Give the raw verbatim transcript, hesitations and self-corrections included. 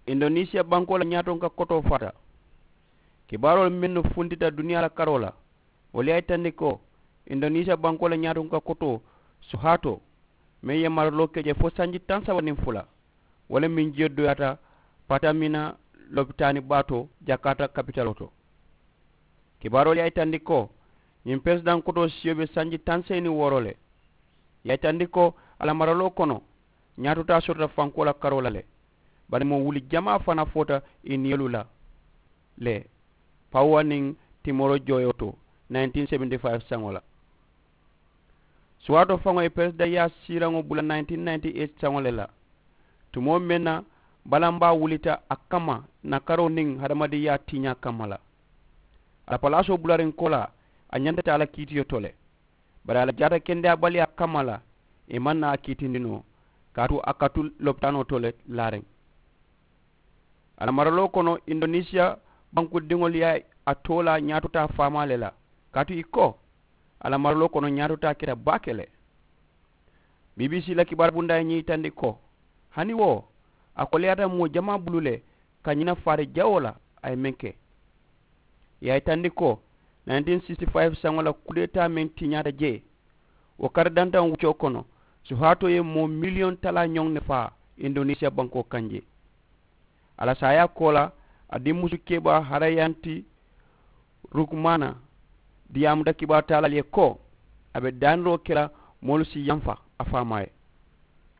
Indonisiya bankoo la ñaatonka kotoo faata. Kibaaroolu mennu funtita duniyaa la karoo la, wolu ye a yitandi ko indonisiya bankoo la ñaatonka kotoo suhaatoo, meŋ ye maraloo ke je fo sanji taŋ saba niŋ fula, wo le meŋ jiyo doyaata patamina lopitaani baa to jakaata kapitaloo to. Kibaaroolu ye a yitandi ko ñiŋ peresidaŋ kotoo siyo be sanji taŋ seyi niŋ wooro le. Ye a yitandi ko a la maraloo kono ñaatotaa sotota fankoo la karoo la le, bari moo wuli jamaa fanaa foota i niyolu la le pawuwa niŋ timoro jooyoo to nineteen seventy five saŋo la. Suwaatoo faŋo ye peresidaŋyaa siiraŋo bula nineteen ninety eight saŋo le la, tumoo meŋ na balambaa wulita a kamma nakaroo niŋ hadamadiŋyaa tiiñaa kamma la. A la palaasoo bulariŋ koolaa a ñanta taa la kiitiyo to le, bari a la jaata kendeyaabaliyaa kamma la ì maŋ naa a kiitindi noo, kaatu a ka tu lopitaanoo to le laariŋ. A la maraloo kono indonisiya bankudiŋolu ye a toolaa ñaatotaa faamaa le la, kaatu ì ko a la maraloo kono ñaatotaa keta baake le. Bbc la kibaaru bundaa ye ñiŋ yitandi ko hani wo a koleyaata moo jamaa bulu le ka ñina faari jawoo la a ye meŋ ke. Ì ye a yitandi ko nineteen sixty five saŋo la kudeetaa meŋ tiñaata jee, wo kari dantaŋo wuccoo kono suhaatoo ye moo miliyoŋ talaa ñoŋ ne faa indonisiya bankoo kaŋ jee. A la saayaa koolaa a dimmusu kebaa harayanti rukumaana diyaamuta kibaaru taalaalu ye ko a be daaniroo ke la moolu si yamfa a faamaa ye.